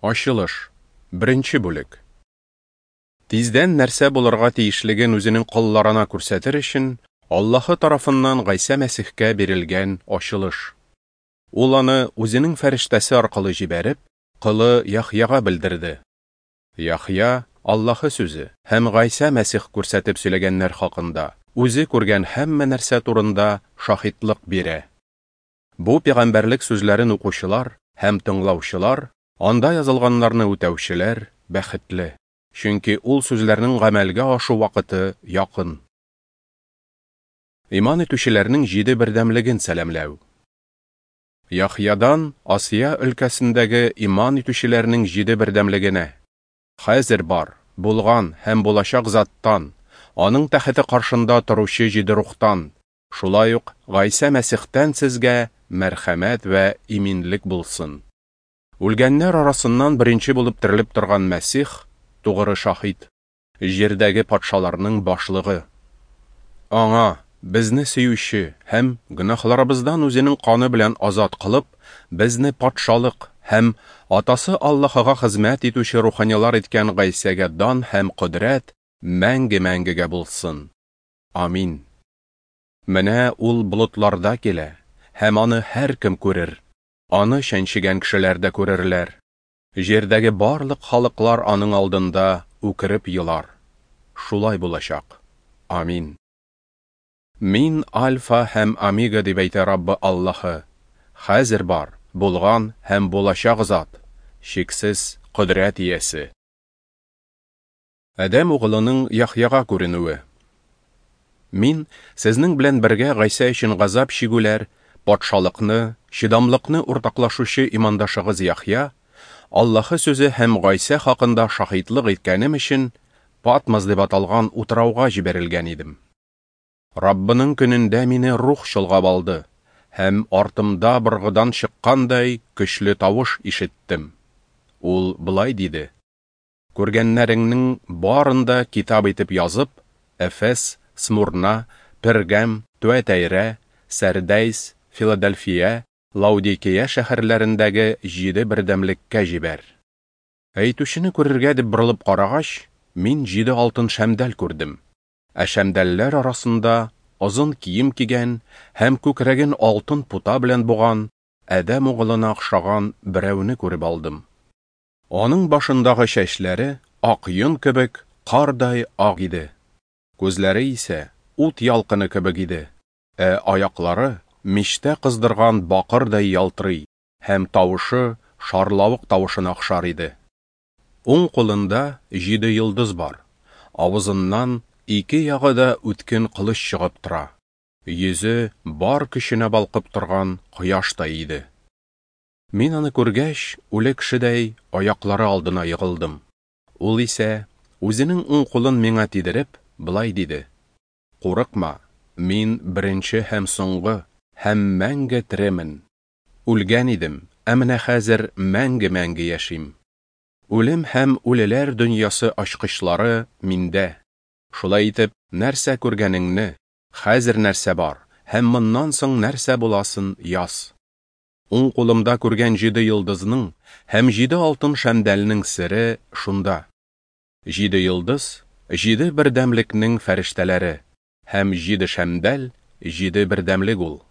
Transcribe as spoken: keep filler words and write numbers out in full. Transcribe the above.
Ачылыш. Беренче бүлек. Тиздән нәрсә булырга тиешлеген үзенең колларына күрсәтер өчен, Аллаһы тарафыннан Гайсә Мәсихкә бирелгән ачылыш. Ул аны үзенең фәрештәсе аркылы җибәреп, колы Яхъяга белдерде. Яхъя Аллаһы сүзе һәм Гайсә Мәсих күрсәтеп сөйләгәннәр хакында, үзе күргән һәммә нәрсә турында шаһитлык бирә. Бу пәйгамбәрлек сүзләрен укучылар һәм тыңлаучылар, анда язылганнарны үтәүчеләр бәхетле, чөнки ул сүзләрнең гамәлгә ашу вакыты якын. Иман итүчеләрнең җиде бердәмлеген сәламләү. Яхъядан Асия өлкәсендәге иман итүчеләрнең җиде бердәмлегенә. Хәзер бар, булган һәм булачак заттан, аның тәхете каршында торучы җиде рухтан, шулай ук Гайсә Мәсихтән сезгә мәрхәмәт вә иминлек булсын. Үлгәннәр арасыннан беренче булып терелеп торган Мәсих тугры шаһит, җирдәге патшаларның башлыгы. Аңа безне сөюче һәм гөнаһларыбыздан үзенең каны белән азат кылып, безне патшалык һәм атасы Аллаһыга хезмәт итүче руханилар иткән Гайсәгә дан һәм кодрәт мәңге-мәңгегә булсын. Амин. Менә ул болытларда килә, һәм аны һәркем күрер. Аны чәнчегән кешеләр дә күрерләр. Җирдәге барлык халыклар аның алдында үкереп елар. Шулай булачак. Амин. Мин Альфа һәм Омега дип әйтә Раббы Аллаһы. Хәзер бар, булган һәм булачак зат, чиксез кодрәт иясе. Адәм угылының Яхъяга күренүе. Мин сезнең белән бергә Гайсә өчен газап чигүләр, патшалыкны, чыдамлыкны уртаклашучы имандашыгыз Яхъя, Аллаһы сүзе һәм Гайсә хакында шаһитлык иткәнем өчен Патмос дип аталган утрауга җибәрелгән идем. Раббының көнендә мине рух чолгап алды, һәм артымда быргыдан чыккандай көчле тавыш ишеттем. Ул былай диде: Күргәннәреңнең барын да китап итеп язып, Эфес, Смурна, Пергам, Туәтәйрә, Сәрдәйс, Филадельфия, Лаудикия шәһәрләрендәге җиде бердәмлеккә җибәр. Әйтүчене күрергә дип борылып карагач, мин җиде алтын шәмдәл күрдем. Ә шәмдәлләр арасында озын кием кигән һәм күкрәген алтын пута белән буган Адәм угылына охшаган берәүне күреп алдым. Аның башындагы чәчләре ак йон кебек, кардай ак иде. Күзләре исә ут ялкыны кебек иде, ә аяклары мичтә кыздырган бакырдай ялтырый һәм тавышы шарлавык тавышына охшар иде. Уң кулында җиде йолдыз бар. Авызыннан ике ягы да үткен кылыч чыгып тора. Йөзе бар көченә балкып торган кояштай иде. Мин аны күргәч, үле кешедәй аяклары алдына егылдым. Ул исә үзенең уң кулын миңа тидереп, былай диде: Курыкма, мин беренче һәм соңгы, һәм мәңге теремен. Үлгән идем, ә менә хәзер мәңге-мәңге яшим. Үлем һәм үлеләр дөньясы ачкычлары миндә. Шулай итеп, нәрсә күргәнеңне, хәзер нәрсә бар, һәм моннан соң нәрсә буласын яз. Уң кулымда күргән җиде йолдызның һәм җиде алтын шәмдәлнең сере шунда. Җиде йолдыз җиде бердәмлекнең фәрештәләре, һәм җиде шәмдәл җиде бердәмлек ул.